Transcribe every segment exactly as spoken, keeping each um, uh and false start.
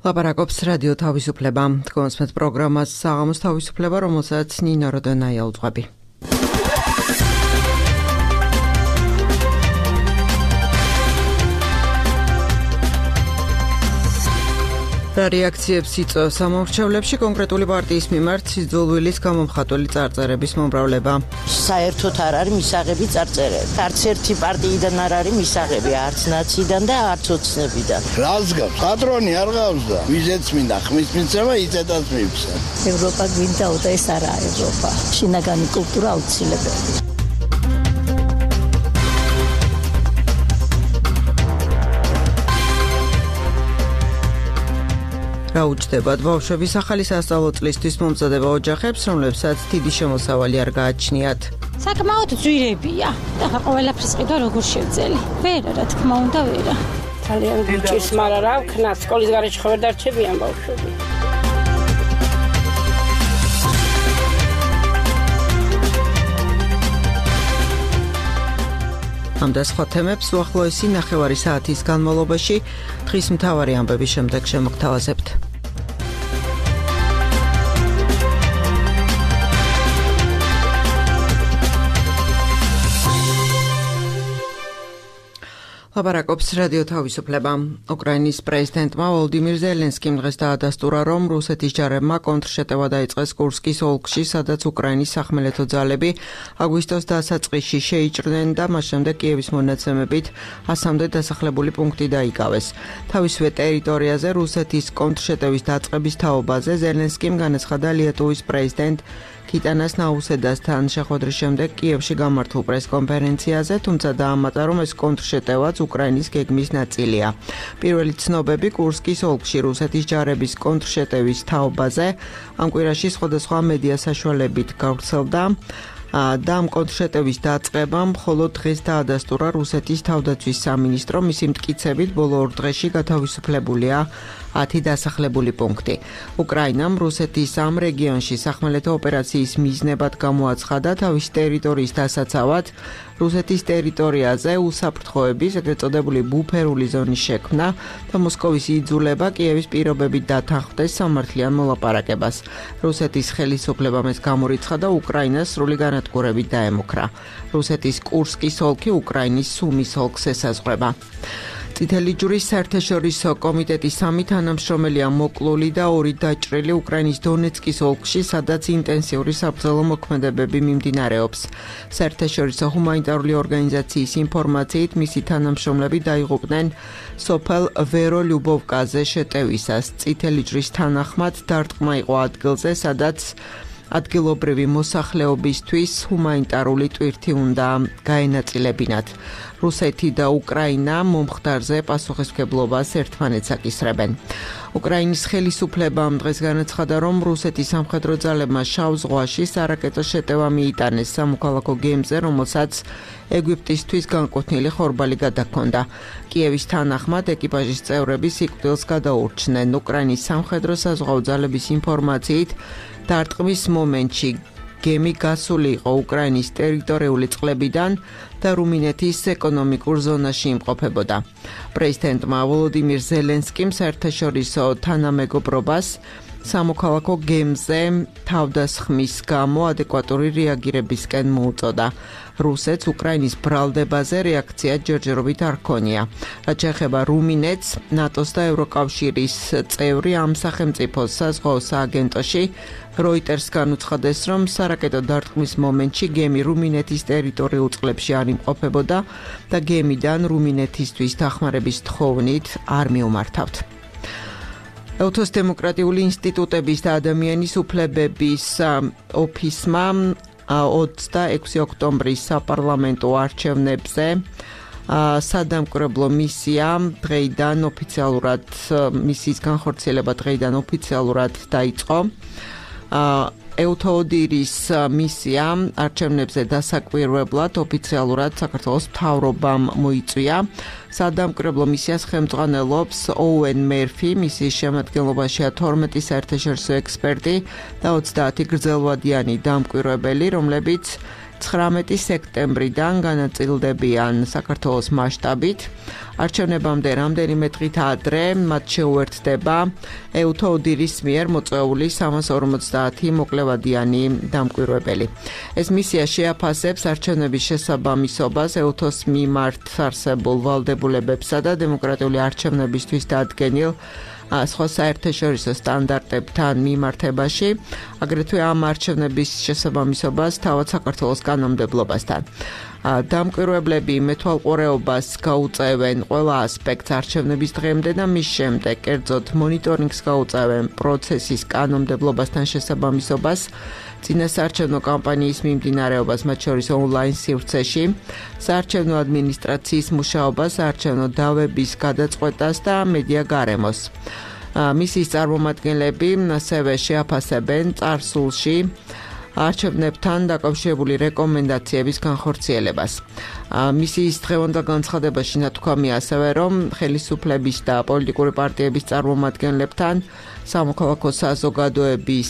ლაპარაკობს რადიო თავისუფლება. თქვენს პროგრამას საღამოს თავისუფლება, რომელსაც ნინო როდონაია უძღვები. რეაქციებს იწვევს სამომრჩევლებში კონკრეტული პარტიის მიმართ სიძულვილის გამომხატველი წარწერების მომრავლება. საერთოდ არ არის მისაღები წარწერები. არც ერთი პარტიიდან არ არის მისაღები, არც ნაციიდან და არც ოცნებიდან. რას გავს? პატრონი არ გავს და ვიზეც მინდა ხმის მიცემა იწედას მივცე. ევროპა გვინდაო და ეს არაა ევროპა. შინაგანი კულტურა აუცილებელია. რა უჯდებათ ბავშვების ახალი სასწავლო წლისთვის მომზადება ოჯახებს, რომლებსაც დიდი შემოსავალი არ გააჩნიათ. საკმაოდ ძვირებია და ყველაფრის ყიდვა როგორ შევძელი. ვერა, რა თქმა უნდა, ვერა. ძალიან გიჭირს, მაგრამ რა ვქნა, სკოლის გარეშე ხო ვერ დარჩებიან ბავშვები. ამ და სხვა თემებს უახლოესი ნახევარი საათის განმავლობაში დღის მთავარი ამბების შემდეგ შემოგთავაზებთ. ლაპარაკობს რადიო თავისუფლება. უკრაინის პრეზიდენტმა ვოლოდიმირ ზელენსკიმ დღეს დაადასტურა, რომ რუსეთის ჯარებმა კონტრშეტევა დაიწყეს კურსკის ოლქში, სადაც უკრაინის სახმელეთო ძალები აგვისტოს დასაწყისში შეიჭრნენ და მას შემდეგ კიევის მონაცემებით ასამდე დასახლებული პუნქტი დაიკავეს. თავისივე ტერიტორიაზე რუსეთის კონტრშეტევის დაწყების თაობაზე ზელენსკიმ განაცხადა ლიეტუვის პრეზიდენტ კიტანას ნაუსედასთან შეხვედრის შემდეგ კიევში გამართულ პრესკონფერენციაზე, თუმცა დაამატა, რომ ეს კონტრშეტევაც უკრაინის გეგმის ნაწილია. პირველი ცნობები კურსკის ოლქში რუსეთის ჯარების კონტრშეტევის თაობაზე ამ კვირაში სხვადასხვა მედია საშუალებით გავრცელდა და ამ კონტრშეტევის დაწყება მხოლოდ დღეს დაადასტურა რუსეთის თავდაცვის სამინისტრო, მისი მტკიცებით ბოლო ორ დღეში გათავისუფლებულია ათი დასახლებული პუნქტი. უკრაინამ რუსეთის ამ რეგიონში სახმელეთო ოპერაციის მიზნებად გამოაცხადა თავის ტერიტორიის დასაცავად რუსეთის ტერიტორიაზე უსაფრთხოების, ეგრეთ წოდებული ბუფერული ზონის შექმნა და მოსკოვის იძულება კიევის პირობებით დათანხმდეს სამართლიან მოლაპარაკებას. რუსეთის ხელისუფლებამ ეს გამორიცხა და უკრაინას სრული განადგურებით დაემუქრა. რუსეთის კურსკის ოლქი უკრაინის სუმის ოლქს ესაზღვრება. წითელი ჯვრის საერთაშორისო კომიტეტის სამი თანამშრომელია მოკლული და ორი დაჭრილი უკრაინის დონეცკის ოლქში, სადაც ინტენსიური საბრძოლო მოქმედებები მიმდინარეობს. საერთაშორისო ჰუმანიტარული ორგანიზაციის ინფორმაციით მისი თანამშრომლები დაიღუპნენ სოფელ ვერო-ლიუბოვკაზე შეტევისას. წითელი ჯვრის თანახმად დარტყმა იყო ადგილზე, სადაც ადგილობრივი მოსახლეობისთვის ჰუმანიტარული ტვირთი უნდა გაენაწილებინათ. რუსეთი და უკრაინა მომხდარზე პასუხისმგებლობას ერთმანეთს აკისრებენ. უკრაინის ხელისუფლებამ დღეს განაცხადა, რომ რუსეთის სამხედრო ძალებმა შავ ზღვაში სარაკეტო შეტევა მიიტანეს სამოქალაქო გემზე, რომელსაც ეგვიპტისთვის განკუთვნილი ხორბალი გადაჰქონდა. კიევის თანახმად ეკიპაჟის წევრები სიკვდილს გადაურჩნენ. უკრაინის სამხედრო საზღვაო ძალების ინფორმაციით დარტყმის მომენტში გემი გასული იყო უკრაინის ტერიტორიული წყლებიდან და რუმინეთის ეკონომიკურ ზონაში იმყოფებოდა. პრეზიდენტმა ვოლოდიმირ ზელენსკიმ საერთაშორისო თანამეგობრობას სამოქალაქო გემზე თავდასხმის გამო ადეკვატური რეაგირებისკენ მოუწოდა. რუსეთს უკრაინის ბრალდებაზე რეაქცია ჯერჯერობით არ ჰქონია. რაც შეეხება რუმინეთს, ნატოს და ევროკავშირის წევრი ამ სახელმწიფოს საზღვაო სააგენტოში როიტერს განუცხადეს, რომ სარაკეტო დარტყმის მომენტში გემი რუმინეთის ტერიტორიულ წყლებში არ იმყოფებოდა და გემიდან რუმინეთისთვის დახმარების თხოვნით არ მიუმართავთ. ელთოს დემოკრატიული ინსტიტუტების და ადამიანის უფლებების ოფისმა ოცდაექვსი ოქტომბრის საპარლამენტო არჩევნებზე სადამკვირვებლო მისია დღეიდან ოფიციალურად მისიის განხორციელება დღეიდან ოფიციალურად დაიწყო. ეუთოოდირის მისია არჩევნებზე დასაკვირვებლად ოფიციალურად საქართველოს მთავრობამ მოიწვია. სადამკვირვებლო მისიას ხელმძღვანელობს ოუენ მერფი, მისიის შემადგენლობაშია თორმეტი საერთაშორისო ექსპერტი და ოცდაათი გრძელვადიანი დამკვირვებელი, რომლებიც ცხრამეტი სექტემბრიდან განაწილდებიან საქართველოს მასშტაბით. არჩევნებამდე რამდენიმე დღით ადრე მათ შეუერთდება ეუთო ოდირის მიერ მოწვეული სამას ორმოცდაათი მოკლევადიანი დამკვირვებელი. ეს მისია შეაფასებს არჩევნების შესაბამისობას ეუთოს მიმართ არსებულ ვალდებულებებსა და დემოკრატიული არჩევნებისთვის დადგენილ სხვა საერთაშორისო სტანდარტებთან მიმართებაში, აგრეთვე ამ არჩევნების შესაბამისობას თავად საქართველოს კანონმდებლობასთან. დამკვირვებლები მეთვალყურეობას გაუწევენ ყველა ასპექტს არჩევნების დღემდე და მის შემდეგ, კერძოდ მონიტორინგს გაუწევენ პროცესის კანონმდებლობასთან შესაბამისობას, წინასაარჩევნო კამპანიის მიმდინარეობას, მათ შორის ონლაინ სივრცეში, საარჩევნო ადმინისტრაციის მუშაობას, საარჩევნო დავების გადაწყვეტას და მედია გარემოს. მისიის წარმომადგენლები ასევე შეაფასებენ წარსულში არჩევნებთან დაკავშირებული რეკომენდაციების განხორციელებას. მისიის დღევანდელ განცხადებაში ნათქვამია ასევე, რომ ხელისუფლების და პოლიტიკური პარტიების წარმომადგენლებთან, სამოქალაქო საზოგადოების,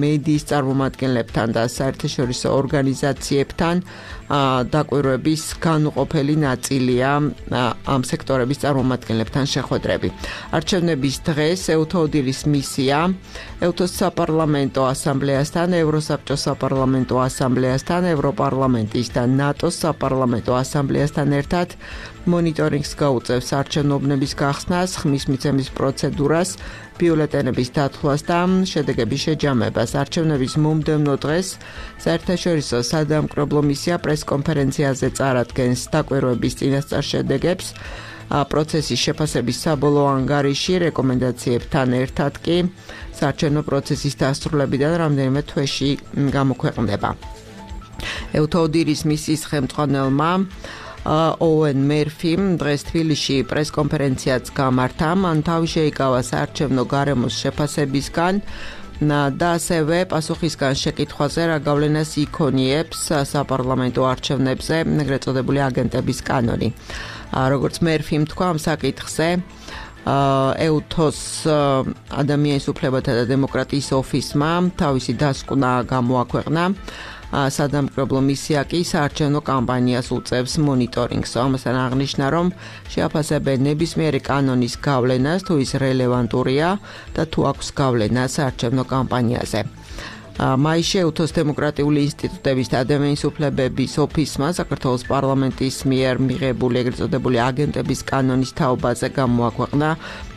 მედიის წარმომადგენლებთან და საერთაშორისო ორგანიზაციებთან დაკვირვების განუყოფელი ნაწილია ამ სექტორების წარმომადგენლებთან შეხვედრები. არჩევნების დღეს ეუთო ოდირის მისია ეუთოს საპარლამენტო ასამბლეასთან, ევროსაბჭოს საპარლამენტო ასამბლეასთან, ევროპარლამენტის და ნატოს საპარლამენტო ასამბლეასთან ერთად მონიტორინგს გაუწევს არჩევნოვნების გახსნას, ხმის მიცემის პროცედურას, ბიულეტენების დათვლას და შედეგების შეჯამებას. არჩევნების მომდევნო დღეს საერთაშორისო სადამკვირვებლო მისია პრესკონფერენციაზე წარადგენს დაკვირვების წინასწარ შედეგებს, პროცესის შეფასების საბოლოო ანგარიში რეკომენდაციებთან ერთად კი საარჩევნო პროცესის დასრულებიდან რამდენიმე თვეში გამოქვეყნდება. ეუთო ოდირის მისიის ხელმძღვანელმა ოუენ მერფიმ დღეს თბილისში პრესკონფერენციაც გამართა, მან თავი შეიკავა საარჩევნო გარემოს შეფასებისგან და ასევე პასუხისგან შეკითხვაზე, რა გავლენას იქონიებს საპარლამენტო არჩევნებზე ეგრეთ წოდებული აგენტების კანონი. როგორც მერფიმ თქვა ამ საკითხზე, ეუთოს ადამიანის უფლებათა და დემოკრატიის ოფისმა თავისი დასკვნა გამოაქვეყნა. სადამკვირვებლო მისია კი საარჩევნო კამპანიას უწევს მონიტორინგს. ამასთან აღნიშნა, რომ შეაფასებენ ნებისმიერი კანონის გავლენას, თუ ის რელევანტურია და თუ აქვს გავლენა საარჩევნო კამპანიაზე. მაისში ეუთოს დემოკრატიული ინსტიტუტების და ადამიანის უფლებების ოფისმა საქართველოს პარლამენტის მიერ მიღებული ეგრეთ წოდებული აგენტების კანონის თაობაზე გამოაქვეყნა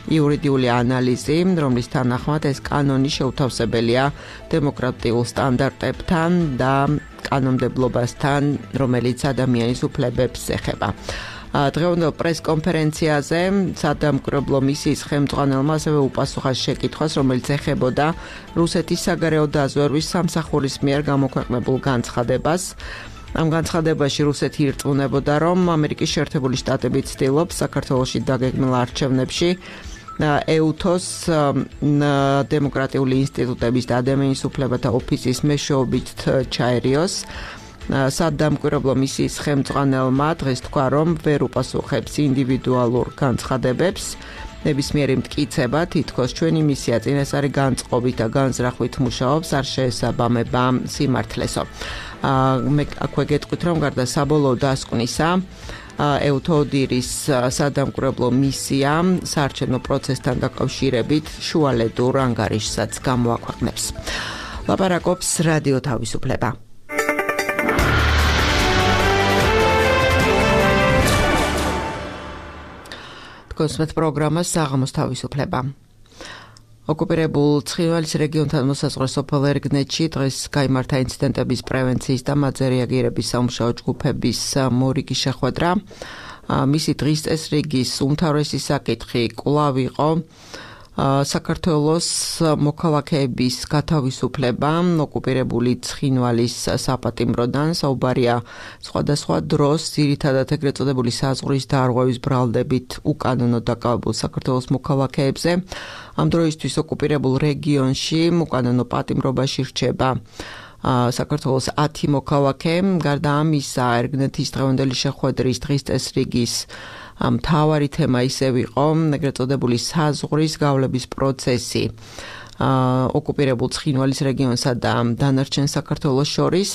იურიდიული ანალიზი, რომლის თანახმად ეს კანონი შეუთავსებელია დემოკრატიულ სტანდარტებთან და კანონმდებლობასთან, რომელიც ადამიანის უფლებებს ეხება. დღევანდელ პრესკონფერენციაზე სადამკვირვებლო მისიის ხელმძღვანელმა ასევე უპასუხა შეკითხვას, რომელიც ეხებოდა რუსეთის საგარეო დაზვერვის სამსახურის მიერ გამოქვეყნებულ განცხადებას. ამ განცხადებაში რუსეთი ირწმუნებოდა, რომ ამერიკის შეერთებული შტატები ცდილობს საქართველოში დაგეგმილ არჩევნებში ეუთოს დემოკრატიული ინსტიტუტების და ადამიანის უფლებათა ოფისის მეშვეობით ჩაერიოს. სადამკვირვებლო მისიის ხელმძღვანელმა დღეს თქვა, რომ ვერ უპასუხებს ინდივიდუალურ განცხადებებს. ნებისმიერი მტკიცება, თითქოს ჩვენი მისია წინასწარი განწყობით და განზრახვით მუშაობს, არ შეესაბამება სიმართლესო. მე აქვე გეტყვით, რომ გარდა საბოლოო დასკვნისა, ეუთო ოდირის სადამკვირვებლო მისია საარჩევნო პროცესთან დაკავშირებით შუალედურ ანგარიშსაც გამოაქვეყნებს. ლაპარაკობს რადიო თავისუფლება. კონსმეთ პროგრამას საღამოს თავისუფლება. ოკუპირებულ ცხინვალის რეგიონთან მოსაზღვრე სოფელ ერგნეთში დღეს გაიმართა ინციდენტების პრევენციის და მათზე რეაგირების სამუშაო ჯგუფების მორიგი შეხვედრა. მისი დღის წესრიგის უმთავრესი საკითხი კვლავ იყო საქართველოს მოქალაქეების გათავისუფლება ოკუპირებული ცხინვალის საპატიმროდან. საუბარია სხვადასხვა დროს ძირითადად ეგრეთ წოდებული საზღვრის დარღვევის ბრალდებით უკანონო დაკავებულ საქართველოს მოქალაქეებზე. ამ დროისთვის ოკუპირებულ რეგიონში უკანონო პატიმრობაში რჩება საქართველოს ათი მოქალაქე. გარდა ამისა, ერგნეთის დღევანდელი შეხვედრის დღის წესრიგის მთავარი თემა ისევ იყო ეგრეთ წოდებული საზღვრის გავლების პროცესი ოკუპირებულ ცხინვალის რეგიონსა და დანარჩენ საქართველოს შორის.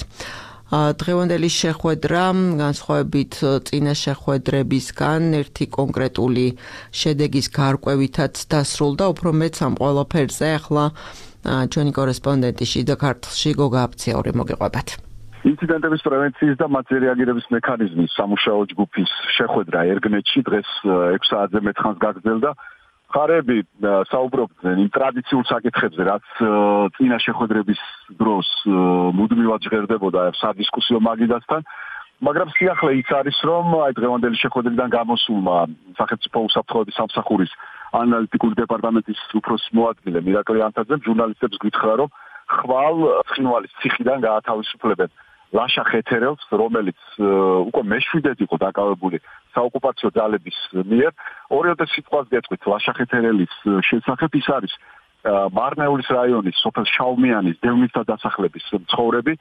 დღევანდელი შეხვედრა განსხვავებით წინა შეხვედრებისგან ერთი კონკრეტული შედეგის გარკვევითაც დასრულდა, უფრო მეც ამ ყველაფერზე ახლა ჩვენი კორესპონდენტი შიდა ქართლში გოგა აფციური მოგიყვებათ. ინციდენტების პრევენციის და მათზე რეაგირების მექანიზმის სამუშაო ჯგუფის შეხვედრა ერგნეთში დღეს ექვს საათზე მეთხანს გაგრძელდა. ხარები საუბრობდნენ იმ ტრადიციულ საკითხებზე, რაც წინა შეხვედრების დროს მუდმივად ჟღერდებოდა სადისკუსიო მაგიდასთან, მაგრამ სიახლე ის არის, რომ აი დღევანდელი შეხვედრიდან გამოსულმა სახელმწიფო უსაფრთხოების სამსახურის ანალიტიკური დეპარტამენტის უფროსის მოადგილე მირაკლი ანთაძემ ჟურნალისტებს გითხრა, რომ ხვალ ცხინვალის ციხიდან გაათავისუფლებენ ლაშა ხეთერელს, რომელიც უკვე მეშვიდედ იყო დაკავებული საოკუპაციო ძალების მიერ. ორიოდე სიტყვას გეტყვით ლაშა ხეთერელის შესახებ, ის არის მარნეულის რაიონის სოფელ შაუმიანის დევნილთა დასახლების მცხოვრები.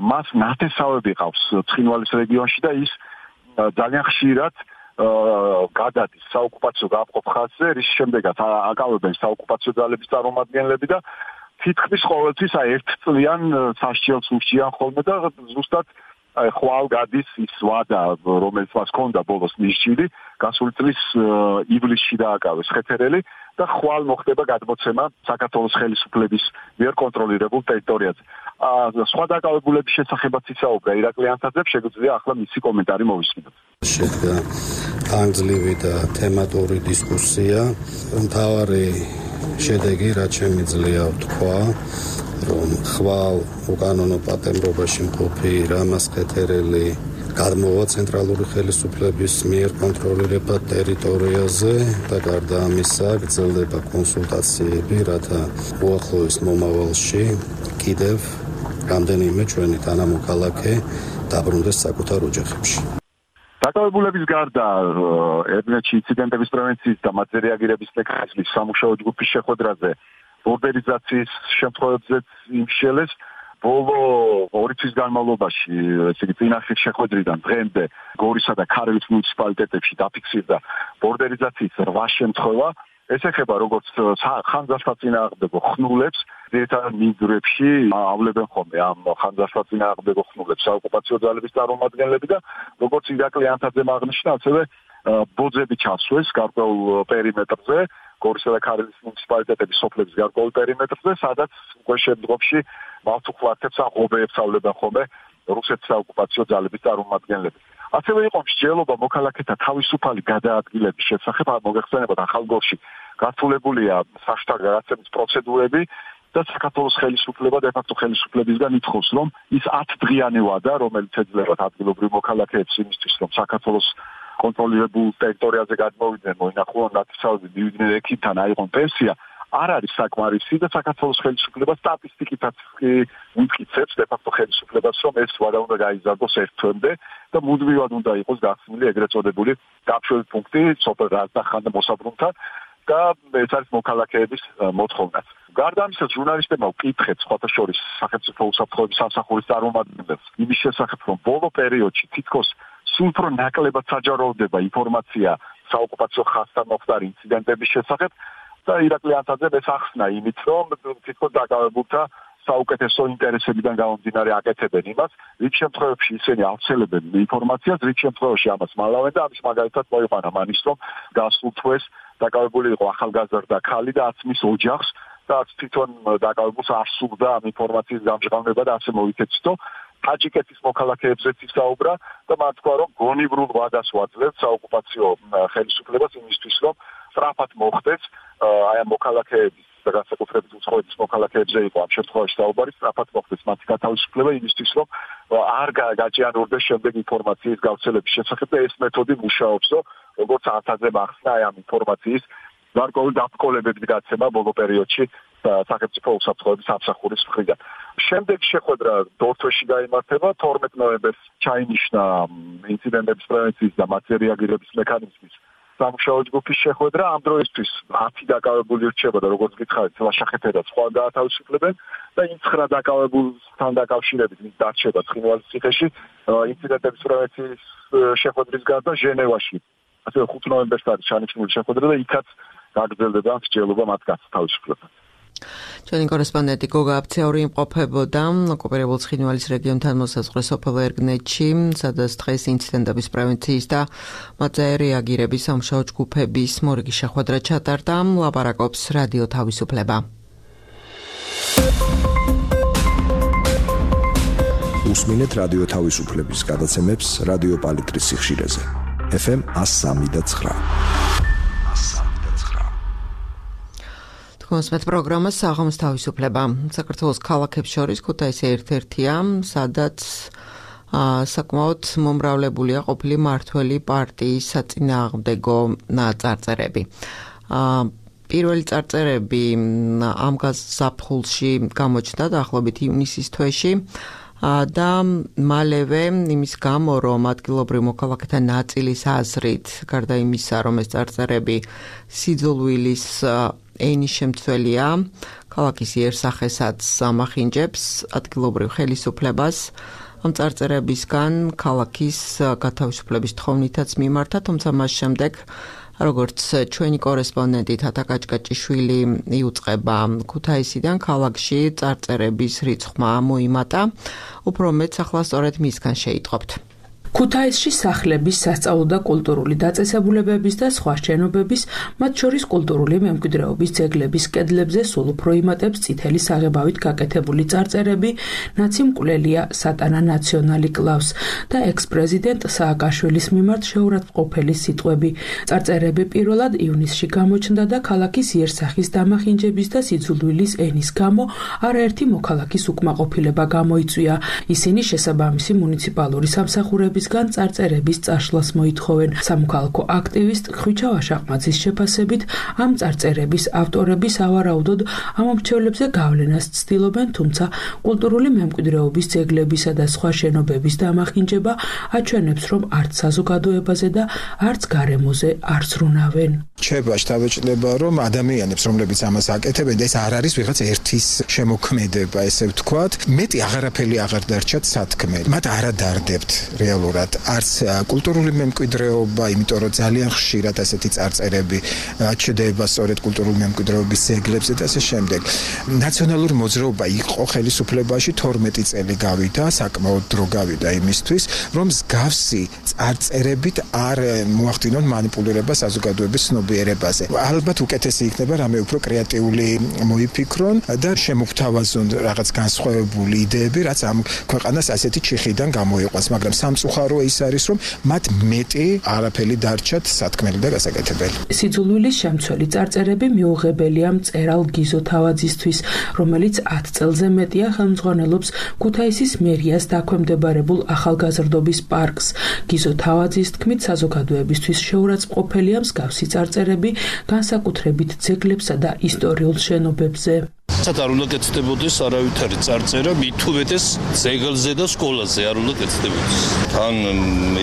მას ნათესავები ყავს ცხინვალის რეგიონში და ის ძალიან ხშირად გადადის საოკუპაციო გამყოფ ხაზზე, რის შემდეგაც აკავებენ საოკუპაციო ძალების წარმომადგენლები და თითქმის ყოველთვის აი ერთ წლიან სასჯელს უშიან ხოლმე და ზუსტად აი ხვალ გადის ის ვადა, რომელიც მას ჰქონდა ბოლოს ნიშნილი, გასული წლის ივლისში დააკავეს ხეთერელი და ხვალ მოხდება გადმოცემა საქართველოს ხელისუფლების მიერ კონტროლირებულ ტერიტორიაზე. სხვა დაკავებულების შესახებაც ისაუბრა ირაკლი ანთაძემ, შეგვიძლია ახლა მისი კომენტარი მოვისმინოთ. შედგა ანგლივი და თემატური დისკუსია. მთავარი შედეგი, რაც შემიძლია ვთქვა, რომ ხვალ უკანონო პატიმრობაში მყოფი რამაზ ხეთერელი გადმოვა ცენტრალური ხელისუფლების მიერ კონტროლირება ტერიტორიაზე და გარდა ამისა გრძელდება კონსულტაციები, რათა უახლოეს მომავალში კიდევ რამდენიმე ჩვენი თანამოქალაქე დაბრუნდეს საკუთარ ოჯახებში. დაკავებულების გარდა ერგნეთში ინციდენტების პრევენციის და მათზე რეაგირების მექანიზმის სამუშაო ჯგუფის შეხვედრაზე ბორდერიზაციის შემთხვევებზეც იმშელეს. ბოლო ორი თვის განმავლობაში, ესე იგი წინა შეხვედრიდან დღემდე გორისა და ქარელის მუნიციპალიტეტებში დაფიქსირდა ბორდერიზაციის რვა შემთხვევა. ეს ეხება როგორც ხანძარსაწინააღმდეგო ხნულებს, ძირითადად მინდვრებში ავლებენ ხოლმე ამ ხანძარსაწინააღმდეგო ხნულებს საოკუპაციო ძალების წარმომადგენლები და როგორც ირაკლი ანთაძემ აღნიშნა, ასევე ბოძები ჩასვეს გარკვეულ პერიმეტრზე, გორისა და ქარელის მუნიციპალიტეტების სოფლების გარკვეულ პერიმეტრზე, სადაც უკვე შემდგომში მავთუხლათებს ან ღობეებს ავლებენ ხოლმე რუსეთის საოკუპაციო ძალების წარმომადგენლები. ასევე იყო მსჯელობა მოქალაქეთა თავისუფალი გადაადგილების შესახებ, მოგეხსენებათ ახალგორში გართულებულია საშტარ გადაცემის პროცედურები და საქართველოს ხელისუფლება და დე-ფაქტო ხელისუფლებისგან ითხოვს, რომ ის ათდღიანი ვადა, რომელიც ეძლევა ადგილობრივ მოქალაქეებს იმისთვის, რომ საქართველოს კონტროლირებულ ტერიტორიაზე გადმოვიდნენ, მოინახულონ ნათესავები, მივიდნენ ექიმთან, აიღონ პენსია, არ არის საკმარისი და საქართველოს ხელისუფლება სტატისტიკითაც უმტკიცებს დე-ფაქტო ხელისუფლებას, რომ ეს ვადა უნდა გაიზარდოს ერთ თვემდე და მუდმივად უნდა იყოს გახსნილი ეგრეთ წოდებული გაფშვები პუნქტი სოფელ რაზდახან და მოსაბრუნთან და ეს არის მოქალაქეების მოთხოვნაც. გარდა ამისა, ჟურნალისტებმა ვკითხეთ სხვათა შორის სახელმწიფო უსაფრთხოების სამსახურის წარმომადგენლებს იმის შესახებ, რომ ბოლო პერიოდში თითქოს სულ უფრო ნაკლებად საჯაროვდება ინფორმაცია საოკუპაციო ხაზთან მოხდარი ინციდენტების შესახებ და ირაკლი ანთაძემ ეს ახსნა იმით, რომ თითქოს დაკავებულთა საუკეთესო ინტერესებიდან გამომდინარე აკეთებენ იმას, რით შემთხვევებში ისინი ავრცელებენ ინფორმაციას, რით შემთხვევაში ამას მალავენ და ამის მაგალითად მოიყვანა მანის, რომ გასულ თვეს დაკავებული იყო ახალგაზრდა ქალი და აცმის ოჯახს და თვითონ დაკავებულს არ სურდა ამ ინფორმაციის გამჟღავნება და ასე მოიქეცდო. ტაჯიკეთის მოქალაქეებზეც ისაუბრა და მათ თქვა, რომ გონივრულ ვადას ვაძლევთ საოკუპაციო ხელისუფლებას იმისთვის, რომ სწრაფად მოხდეს აი ამ მოქალაქეების და განსაკუთრებით უცხოეთის მოქალაქეებზე იყო ამ შემთხვევაში საუბარი, სწრაფად მოხდეს მათი გათავისუფლება იმისთვის, რომ არ გაჭიანურდეს შემდეგ ინფორმაციის გავრცელების შესახებ და ეს მეთოდი მუშაობსო, როგორც ანთაძემ ახსნა აი ამ ინფორმაციის გარკვეული დაბრკოლებების გაცემა ბოლო პერიოდში სახელმწიფო უსაფრთხოების სამსახურის მხრიდან. შემდეგ შეხვედრა დორთვეში გაიმართება, თორმეტ ნოემბერს ჩაინიშნა ინციდენტების პრევენციის და მათზე რეაგირების მექანიზმის სამუშაო ჯგუფის შეხვედრა. ამ დროისთვის ათი დაკავებული რჩება და როგორც გითხარით, ლაშა ხეთერელს ხვალ გაათავისუფლებენ და იმ ცხრა დაკავებულთან დაკავშირებით მის დარჩება ცხინვალის ციხეში ინციდენტების პრევენციის შეხვედრის გარდა ჟენევაში. ასევე ხუთი ნოემბერს არის ჩანიშნული შეხვედრა და იქაც გაგრძელდება მსჯელობა მათ გათავისუფლებაზე. ჩვენი კორესპონდენტი გოგა აფციური იმყოფებოდა ოკუპირებულ ცხინვალის რეგიონთან მოსაზღვრე სოფელ ერგნეთში, სადაც დღეს ინციდენტების პრევენციის და მათზე რეაგირების სამუშაო ჯგუფების მორიგი შეხვედრა ჩატარდა. ლაპარაკობს რადიო თავისუფლება. უსმინეთ რადიო თავისუფლების გადაცემებს რადიო პალიტრის სიხშირეზე. ეფ ემ one oh three point nine. მოსმეთ პროგრამას საღამოს თავისუფლება. საქართველოს ქალაქებს შორის ქუთაისი ერთ-ერთია, სადაც საკმაოდ მომრავლებულია ყოფილი მმართველი პარტიის საწინააღმდეგო წარწერები. პირველი წარწერები ამ გაზაფხულში გამოჩნდა დაახლოებით ივნისის თვეში და მალევე იმის გამო, რომ ადგილობრივ მოქალაქეთა ნაწილის აზრით, გარდა იმისა, რომ ეს წარწერები სიძულვილის ენის შემცველია, ქალაქის იერსახესაც ამახინჯებს ადგილობრივ ხელისუფლებას. ამ წარწერებისგან ქალაქის გათავისუფლების თხოვნითაც მიმართა, თუმცა მას შემდეგ, როგორც ჩვენი კორესპონდენტი თათა კაჭკაჭიშვილი იუწყება ქუთაისიდან, ქალაქში წარწერების რიცხვმა მოიმატა. უფრო მეტს ახლა სწორედ მისგან შეიტყობთ. ქუთაისში სახლების, სასწავლო და კულტურული დაწესებულებების და სხვა შენობების, მათ შორის კულტურული მემკვიდრეობის ძეგლების კედლებზე სულ უფრო იმატებს წითელი საღებავით გაკეთებული წარწერები, ნაცი მკვლელია სატანა ნაციონალი კლავს და ექს-პრეზიდენტ სააკაშვილის მიმართ შეურაცხმყოფელი სიტყვები. წარწერები პირველად ივნისში გამოჩნდა და ქალაქის იერსახის დამახინჯების და სიძულვილის ენის გამო არაერთი მოქალაქის უკმაყოფილება გამოიწვია. ისინი შესაბამისი მუნიციპალური სამსახურების გან წარწერების წაშლას მოითხოვენ. სამოქალაქო აქტივისტ ხვიჩა ვაშაყმაძის შეფასებით, ამ წარწერების ავტორები სავარაუდოდ ამ მრჩევლებზე გავლენას ცდილობენ, თუმცა კულტურული მემკვიდრეობის ძეგლებისა და სხვა შენობების დამახინჯება აჩვენებს, რომ არც საზოგადოებაზე და არც გარემოზე არ ზრუნავენ. რჩება შთაბეჭდება, რომ ადამიანებს, რომლებიც ამას აკეთებენ, ეს არ არის ვიღაც ერთის შემოქმედება, ესე ვთქვათ, მეტი აღარაფერი აღარ დარჩათ სათქმელი. მათ არ ადარდებთ რეალურად არც კულტურული მემკვიდრეობა, იმიტომ რომ ძალიან ხშირად ასეთი წარწერები ჩდება სწორედ კულტურული მემკვიდრეობის ძეგლებზე და ასე შემდეგ. ნაციონალური მოძრაობა იყო ხელისუფლებაში თორმეტი წელი გავიდა, საკმაოდ დრო გავიდა იმისთვის, რომ მსგავსი წარწერებით არ მოახდინონ მანიპულირება საზოგადოების ცნობიერებაზე. ალბათ უკეთესი იქნება რამე უფრო კრეატიული მოიფიქრონ და შემოგთავაზონ რაღაც განსხვავებული იდეები, რაც ამ ქვეყანას ასეთი ჩიხიდან გამოიყვანს, მაგრამ სამწუხარო ის არის, რომ მათ მეტი არაფერი დარჩათ სათქმელი და გასაკეთებელი. სიძულვილის შემცველი წარწერები მიუღებელია მწერალ გიზო თავაძისთვის, რომელიც ათ წელზე მეტია ხელმძღვანელობს ქუთაისის მერიას დაქვემდებარებულ ახალგაზრდობის პარკს. გიზო თავაძის თქმით, საზოგადოებისთვის შეურაცხმყოფელია მსგავსი წარწერები, განსაკუთრებით ძეგლებსა და ისტორიულ შენობებზე. საერთოდ არ უნდა კეთდებოდეს არავითარი წარწერა, მით უმეტეს ძეგლზე და სკოლაზე არ უნდა კეთდებოდეს. თან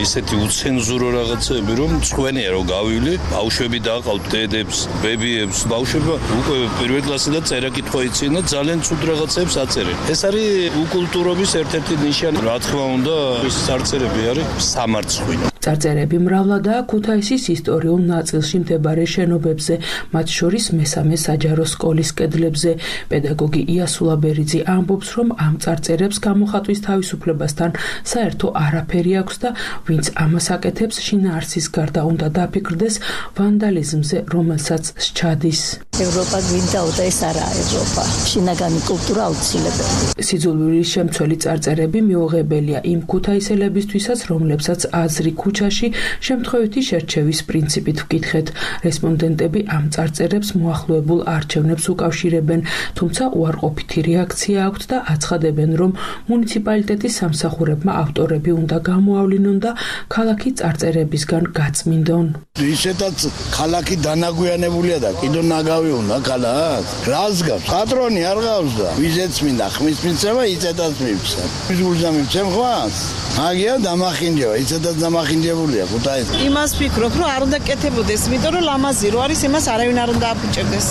ისეთი უცენზურო რაღაცები, რომ წვენია რომ გავივლი, ბავშვები დააყავთ დედებს, ბებიებს, ბავშვები უკვე პირველ კლასიდან წერა კითხვა იციან და ძალიან ცუდ რაღაცებს აწერენ. ეს არის უკულტურობის ერთ-ერთი ნიშანი. რა თქმა უნდა, ეს წარწერები არის სამარცხვინო. წარწერები მრავლადაა ქუთაისის ისტორიულ ნაწილში მდებარე შენობებზე, მათ შორის მესამე საჯარო სკოლის კედლებზე. პედაგოგი იასულა ბერიძე ამბობს, რომ ამ წარწერებს გამოხატვის თავისუფლებასთან საერთო არაფერი აქვს და ვინც ამას აკეთებს, შინაარსის გარდა უნდა დაფიქრდეს ვანდალიზმზე, რომელსაც სჩადის. ევროპა გვინდაო და ეს არაა ევროპა. შინაგანი კულტურა აუცილებელი. სიძულვილის შემცველი წარწერები მიუღებელია იმ ქუთაისელებისთვისაც, რომლებსაც აზრი ქუჩაში შემთხვევითი შერჩევის პრინციპით ვკითხეთ. რესპონდენტები ამ წარწერებს მოახლოებულ არჩევნებს უკავშირებენ, თუმცა უარყოფითი რეაქცია აქვთ და აცხადებენ, რომ მუნიციპალიტეტის სამსახურებმა ავტორები უნდა გამოავლინონ და ქალაქი წარწერებისგან გაწმინდონ. ისედაც ქალაქი დანაგვიანებულია და კიდო ნაგავი უნდა ქალაქ. რას გავს? პატრონი არ გავს და ვიზეც მინდა ხმის მიცემა, იცედაც მივცემ. ის გულზა მივცემ ხვას? მაგია დამახინჯება, იცედაც დამახინჯებულია ქუთაისი. იმას ვფიქრობ, რომ არ უნდა კეთებოდეს, იმიტომ რომ ლამაზი რო არის, იმას არავინ არ უნდა აფუჭებდეს.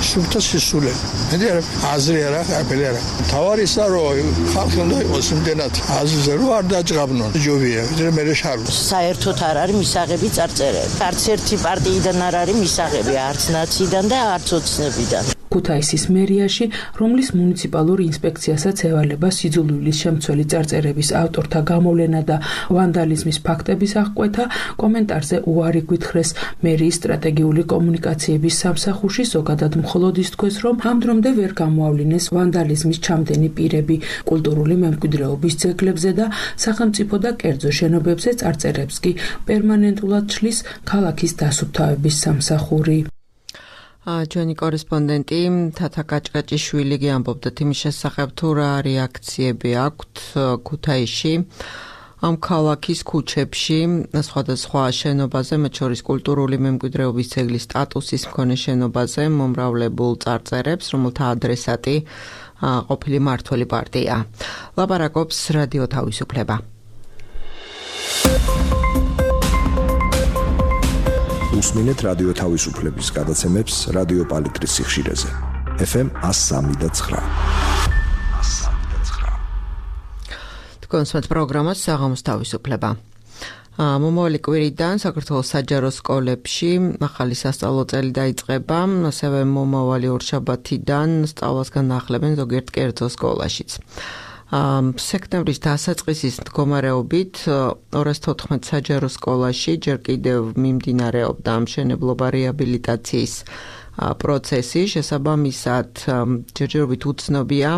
შუბთა სისულე. მე აზრი არა, აფელი არა. თავარისა რომ ხალხი უნდა იყოს იმდენად აზრზე რომ არ დაჭღაბნონ. ჯობია, ვიდრე მე შარლ. საერთოდ არ არის მისაღები წარწერები. არც ერთი პარტიიდან არ არის მისაღები, არც ნაციიდან და არც ოცნებიდან. ქუთაისის მერიაში, რომლის მუნიციპალურ ინსპექციასაც ევალება სიძულვილის შემცველი წარწერების ავტორთა გამოვლენა და ვანდალიზმის ფაქტების აღკვეთა, კომენტარზე უარი გვითხრეს მერიის სტრატეგიული კომუნიკაციების სამსახურში, ზოგადად მხოლოდ ის თქვეს, რომ ამ დრომდე ვერ გამოავლინეს ვანდალიზმის ჩამდენი პირები კულტურული მემკვიდრეობის ძეგლებზე და სახელმწიფო და კერძო შენობებზე წარწერებს კი პერმანენტულად ჩლის ქალაქის დასუფთავების სამსახური. ჩვენი კორესპონდენტი თათა კაჭკაჭიშვილი ამბობდა იმის შესახებ, თუ რა რეაქციები აქვთ ქუთაისში ამ ქალაქის ქუჩებში სხვადასხვა შენობაზე, მათ შორის კულტურული მემკვიდრეობის ძეგლის სტატუსის მქონე შენობაზე მომრავლებულ წარწერებს, რომელთა ადრესატი ყოფილი მმართველი პარტია. ლაპარაკობს რადიო თავისუფლება. უსმინეთ რადიო თავისუფლების გადაცემებს რადიო პალიტრის სიხშირეზე. ეფ ემ one oh three point nine. კონსმეთ პროგრამას საღამოს თავისუფლება. მომავალი კვირიდან საქართველოს საჯარო სკოლებში ახალი სასწავლო წელი დაიწყება, ასევე მომავალი ორშაბათიდან სწავლას განახლებენ ზოგიერთ კერძო სკოლაშიც. სექტემბრის დასაწყისის მდგომარეობით ორას თოთხმეტ საჯარო სკოლაში ჯერ კიდევ მიმდინარეობდა ამშენებლობა რეაბილიტაციის პროცესი, შესაბამისად ჯერჯერობით უცნობია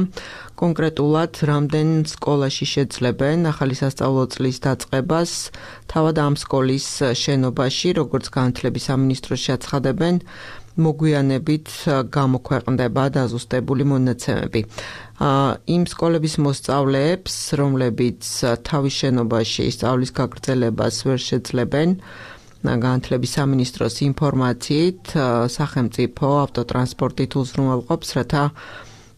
კონკრეტულად რამდენ სკოლაში შეძლებენ ახალი სასწავლო წლის დაწყებას, თავად ამ სკოლის შენობაში, როგორც განათლების სამინისტროში აცხადებენ, მოგვიანებით გამოქვეყნდება დაზუსტებული მონაცემები. იმ სკოლების მოსწავლეებს, რომლებიც თავის შენობაში სწავლის გაგრძელებას ვერ შეძლებენ, განათლების სამინისტროს ინფორმაციით სახელმწიფო ავტოტრანსპორტით უზრუნველყოფს, რათა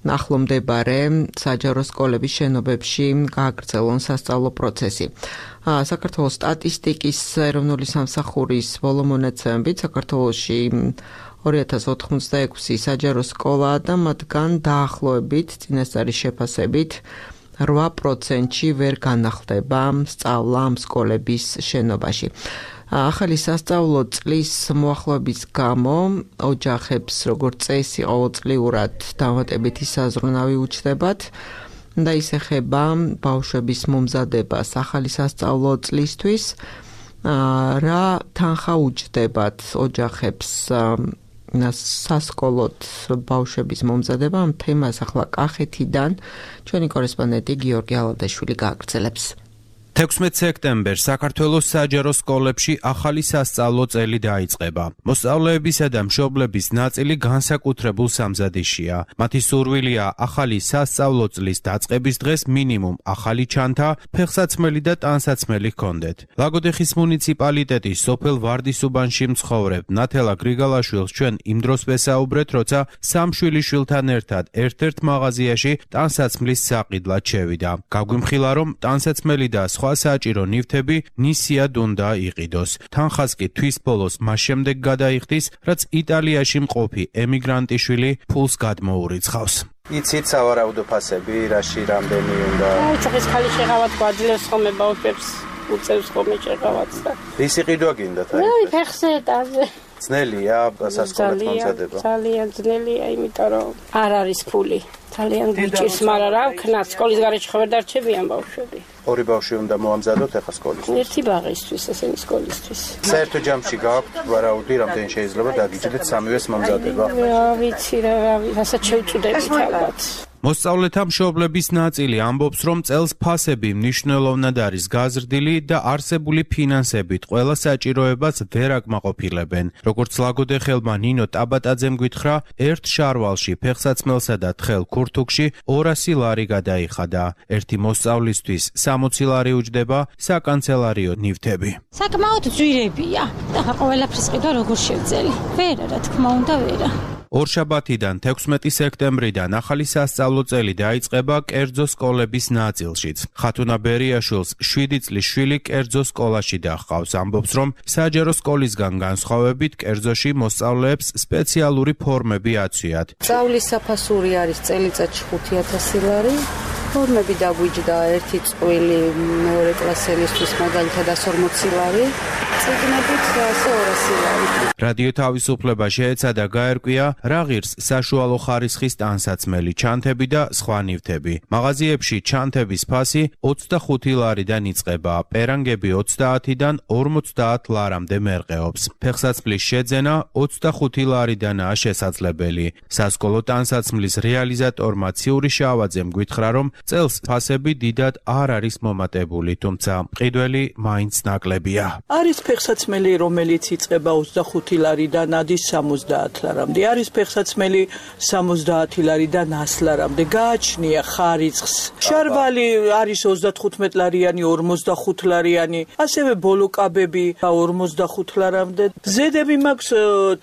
ახლომდებარე საჯარო სკოლების შენობებში გააგრძელონ სასწავლო პროცესი. საქართველოს სტატისტიკის ეროვნული სამსახურის ბოლო მონაცემებით საქართველოში ორი ათას ოთხმოცდაექვსი საჯარო სკოლაა და მათგან დაახლოებით წინასწარი შეფასებით რვა პროცენტში ვერ განახლდება სწავლა ამ სკოლების შენობაში. ახალი სასწავლო წლის მოახლოების გამო ოჯახებს როგორც წესი ყოველწლიურად დამატებითი საზრუნავი უჩნდებათ და ის ეხება ბავშვების მომზადებას ახალი სასწავლო წლისთვის, რა თანხა უჩნდებათ ოჯახებს სასკოლოდ ბავშვების მომზადება. ამ თემას ახლა კახეთიდან ჩვენი კორესპონდენტი გიორგი ალადაშვილი გააგრძელებს. თექვსმეტ სექტემბერს საქართველოს საჯარო სკოლებში ახალი სასწავლო წელი დაიწყება. მოსწავლეებისა და მშობლების ნაწილი განსაკუთრებულ სამზადიშია. მათი სურვილია ახალი სასწავლო წლის დაწყების დღეს მინიმუმ ახალი ჩანთა, ფეხსაცმელი და ტანსაცმელი ჰქონდეთ. ლაგოდეხის მუნიციპალიტეტის სოფელ ვარდისუბანში მცხოვრებ ნათელა გრიგალაშვილს ჩვენ იმ დროს ვესაუბრეთ, როცა სამ შვილიშვილთან ერთად ერთ-ერთ მაღაზიაში ტანსაცმლის საყიდლად შევიდა. გაგვიმხილა, რომ ტანსაცმელი და სხვა საჭირო ნივთები ნისიად უნდა იყიდოს. თანხას კი თვის ბოლოს მას შემდეგ გადაიხდის, რაც იტალიაში მყოფი ემიგრანტიშვილი ფულს გადმოურიცხავს. იცით სავარაუდო ფასები, რაში რამდენი უნდა? ჩუხის ხალი შეღავათ გვაძლევს ხოლმე ბავშვებს, უწევს ხოლმე შეღავათს და. ისი ყიდვა გინდა თან? ნუ ფეხზე დაზე. ძნელია სასკოლად მომზადება? ძალიან ძნელია, იმიტომ რომ არ არის ფული. ძალიან გიჭირს, მაგრამ რა ვქნა, სკოლის გარეშე ხო ვერ დარჩებიან ბავშვები. ორი ბავშვი უნდა მოამზადოთ ახლა სკოლისთვის. ერთი ბაღისთვის, ესენი სკოლისთვის. საერთო ჯამში გააქვთ ვარაუდი, რამდენი შეიძლება დაგიჭირდეთ სამივეს მომზადება? რა ვიცი რა, რასაც შევწუდებით ალბათ. მოსწავლეთა მშობლების ნაწილი ამბობს, რომ წელს ფასები მნიშვნელოვნად არის გაზრდილი და არსებული ფინანსებით ყველა საჭიროებას ვერ აკმაყოფილებენ. როგორც ლაგოდეხელმა ნინო ტაბატაძემ გითხრა, ერთ შარვალში ფეხსაცმელსა და თხელ ქურთუქში ორასი ლარი გადაიხადა. ერთი მოსწავლისთვის სამოცი ლარი უჯდება საკანცელარიო ნივთები. საკმაოდ ძვირებია და ყველაფრის ყიდვა როგორ შევძელი? ვერა, რა თქმა უნდა, ვერა. ორშაბათიდან თექვსმეტი სექტემბრიდან ახალი სასწავლო წელი დაიწყება კერძო სკოლების ნაწილშიც. ხათუნა ბერიაშვილს შვიდი წლის შვილი კერძო სკოლაში დაჰყავს. ამბობს, რომ საჯარო სკოლისგან განსხვავებით კერძოში მოსწავლეებს სპეციალური ფორმები აცვიათ. სწავლის საფასური არის წელიწადში ხუთი ათასი ლარი. ფორმები დაგვიჯდა ერთი წყვილი მეორე კლასელისთვის მაგალითად ას ორმოცი ლარი. წიგნებით ასე ორასი ლარი. რადიო თავისუფლება შეეცადა გაერკვია რა ღირს საშუალო ხარისხის ტანსაცმელი, ჩანთები და სხვა ნივთები. მაღაზიებში ჩანთების ფასი ოცდახუთი ლარიდან იწყება, პერანგები ოცდაათიდან ორმოცდაათ ლარამდე მერყეობს. ფეხსაცმლის შეძენა ოცდახუთი ლარიდანაა შესაძლებელი. სასკოლო ტანსაცმლის რეალიზატორმა ციური შავაძემ გვითხრა, რომ წელს ფასები დიდად არ არის მომატებული, თუმცა მყიდველი მაინც ნაკლებია. არის ფეხსაცმელი, რომელიც იწყება ოცდახუთი ლარიდან ადის სამოცდაათ ლარამდე. არის ფეხსაცმელი სამოცდაათი ლარიდან ას ლარამდე. გააჩნია ხარისხს. შარვალი არის ოცდათხუთმეტ ლარიანი, ორმოცდახუთ ლარიანი, ასევე ბოლოკაბები ორმოცდახუთ ლარამდე. ზედები მაქვს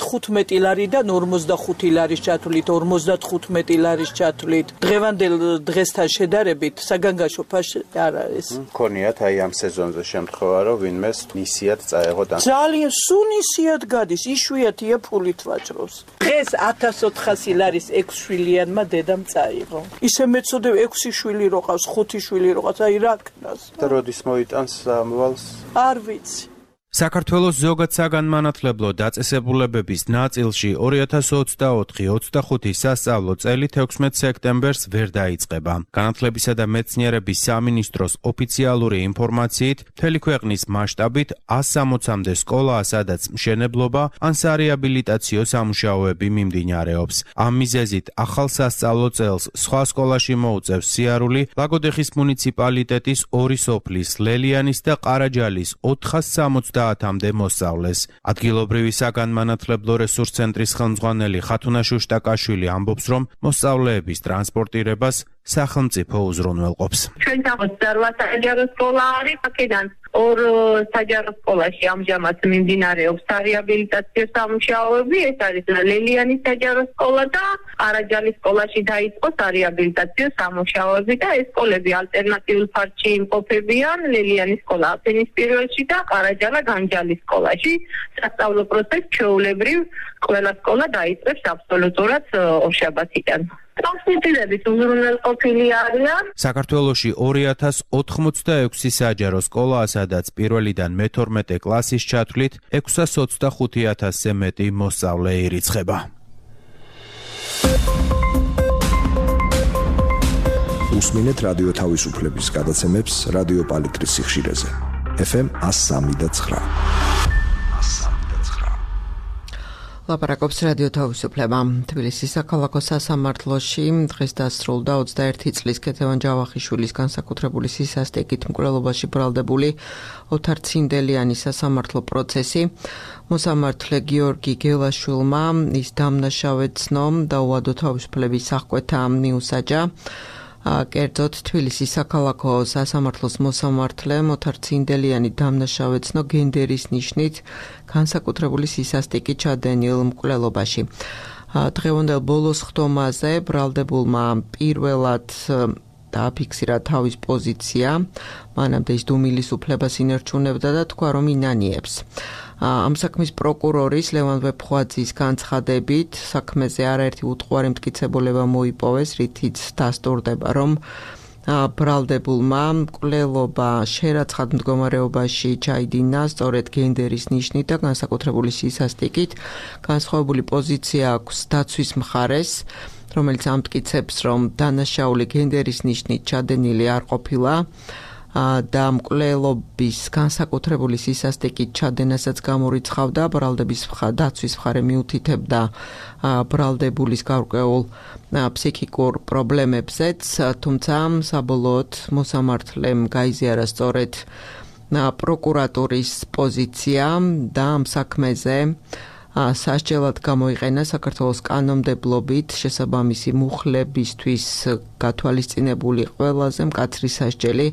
თხუთმეტი ლარიდან ორმოცდახუთი ლარის ჩათვლით, ორმოცდათხუთმეტი ლარის ჩათვლით. დღევანდელ დღესთან შედარებით საგანგაშო ფასი არ არის. მქონიათ აი ამ სეზონზე შემთხვევა, რომ ვინმეს ნისიად წაეღო და ძალიან სუნისიად გადის, იშვიათია ფულით ვაჭრობს. დღეს ათას ოთხასი ლარის ექვს შვილიანმა დედამ წაიღო. ისე მეწოდებ ექვსი შვილი როყავს, ხუთი შვილი როყავს, აი რა ქნას. და როდის მოიტანს ამვალს? არ ვიცი. საქართველოს ზოგად საგანმანათლებლო დაწესებულებების ნაწილში ორი ათას ოცდაოთხი ოცდახუთი სასწავლო წელი თექვსმეტ სექტემბერს ვერ დაიწყება. განათლებისა და მეცნიერების სამინისტროს ოფიციალური ინფორმაციით, მთელი ქვეყნის მასშტაბით ას სამოცამდე სკოლაა, სადაც მშენებლობა ან სარეაბილიტაციო სამუშაოები მიმდინარეობს. ამ მიზეზით ახალ სასწავლო წელს სხვა სკოლაში მოუწევს სიარული ლაგოდეხის მუნიციპალიტეტის ორი სოფლის, ლელიანის და ყარაჯალის ოთხას სამოცდაათამდე მოსწავლეს. ადგილობრივი საგანმანათლებლო რესურს ცენტრის ხელმძღვანელი ხათუნა შუშტაკაშვილი ამბობს, რომ მოსწავლეების ტრანსპორტირებას სახელმწიფო უზრუნველყოფს. ჩვენ სამოცდაოთხ საჯარო სკოლა არის, აქედან ორ საჯარო სკოლაში ამჟამად მიმდინარეობს სარეაბილიტაციო სამუშაოები, ეს არის ლელიანის საჯარო სკოლა და ყარაჯალის სკოლაში დაიწყო სარეაბილიტაციო სამუშაოები და ეს სკოლები ალტერნატიულ ფარჩი იმყოფებიან, ლელიანის სკოლა აფენის პირველში და ყარაჯალა განჯალის სკოლაში. სასწავლო პროცესი ჩვეულებრივ ყველა სკოლა დაიწყებს აბსოლუტურად ორშაბათიდან. ტრანსპორტირების უზრუნველყოფილი არიან. საქართველოში ორი ათას ოთხმოცდაექვსი საჯარო სკოლაა, სადაც პირველიდან მეთორმეტე კლასის ჩათვლით ექვსას ოცდახუთი ათასზე მეტი მოსწავლე ირიცხება. უსმინეთ რადიო თავისუფლების გადაცემებს რადიო პალიტრის სიხშირეზე. ეფ ემ ას სამი და ცხრა. ლაპარაკობს რადიო თავისუფლება. თბილისის საქალაქო სასამართლოში დღეს დასრულდა ოცდაერთი წლის ქეთევან ჯავახიშვილის განსაკუთრებული სისასტიკით მკვლელობაში ბრალდებული ოთარ ცინდელიანის სასამართლო პროცესი. მოსამართლე გიორგი გელაშვილმა ის დამნაშავედ ცნო და უადო თავისუფლების აღკვეთა მიუსაჯა. კერძოდ თბილისის საქალაქო სასამართლოს მოსამართლე ოთარ ცინდელიანი დამნაშავედ ცნო გენდერის ნიშნით განსაკუთრებული სისასტიკით ჩადენილ მკვლელობაში. დღევანდელ ბოლოს ხდომაზე ბრალდებულმა პირველად დააფიქსირა თავის პოზიცია, მანამდე ის დუმილის უფლებას ინარჩუნებდა და თქვა, რომ ინანიებს. ამ საქმის პროკურორის ლევან ვეფხვაძის განცხადებით საქმეზე არაერთი უტყუარი მტკიცებულება მოიპოვეს, რითიც დასტურდება, რომ ბრალდებულმა მკვლელობა შერაცხად მდგომარეობაში ჩაიდინა სწორედ გენდერის ნიშნით და განსაკუთრებული სისასტიკით. განსხვავებული პოზიცია აქვს დაცვის მხარეს, რომელიც ამტკიცებს, რომ დანაშაული გენდერის ნიშნით ჩადენილი არ ყოფილა და მკვლელობის განსაკუთრებული სისასტიკით ჩადენასაც გამორიცხავდა. ბრალდების დაცვის მხარე მიუთითებდა ბრალდებულის გარკვეულ ფსიქიკურ პრობლემებზეც, თუმცა საბოლოოდ მოსამართლემ გაიზიარა სწორედ პროკურატურის პოზიცია და ამ საქმეზე სასჯელად გამოიყენა საქართველოს კანონმდებლობით შესაბამისი მუხლებისთვის გათვალისწინებული ყველაზე მკაცრი სასჯელი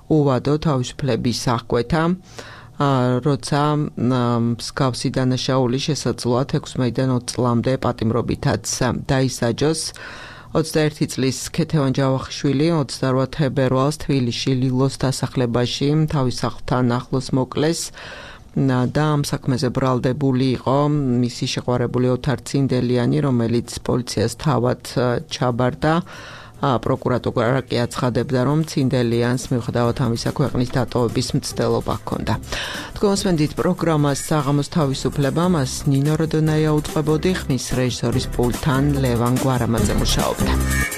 უვადო თავისუფლების აღკვეთა, როცა მსგავსი დანაშაული შესაძლოა ექვსმეიდან ოცი წლამდე პატიმრობითაც დაისაჯოს. ოცდაერთი წლის ქეთევან ჯავახიშვილი ოცდაოთხ თებერვალს თბილისში ლილოს დასახლებაში თავის სახლთან ახლოს მოკლეს და ამ საქმეზე ბრალდებული იყო მისი შეყვარებული ოთარ ცინდელიანი, რომელიც პოლიციას თავად ჩაბარდა. პროკურატურა კი აცხადებდა, რომ ცინდელიანს მიუხედავად ამისა ქვეყნის დატოვების მცდელობა ჰქონდა. თქვენ მოსმენთ პროგრამას საღამოს თავისუფლება, მას ნინო როდონაია უწყებოდი, ხმის რეჟისორის პულტთან ლევან გვარამაძე მუშაობდა.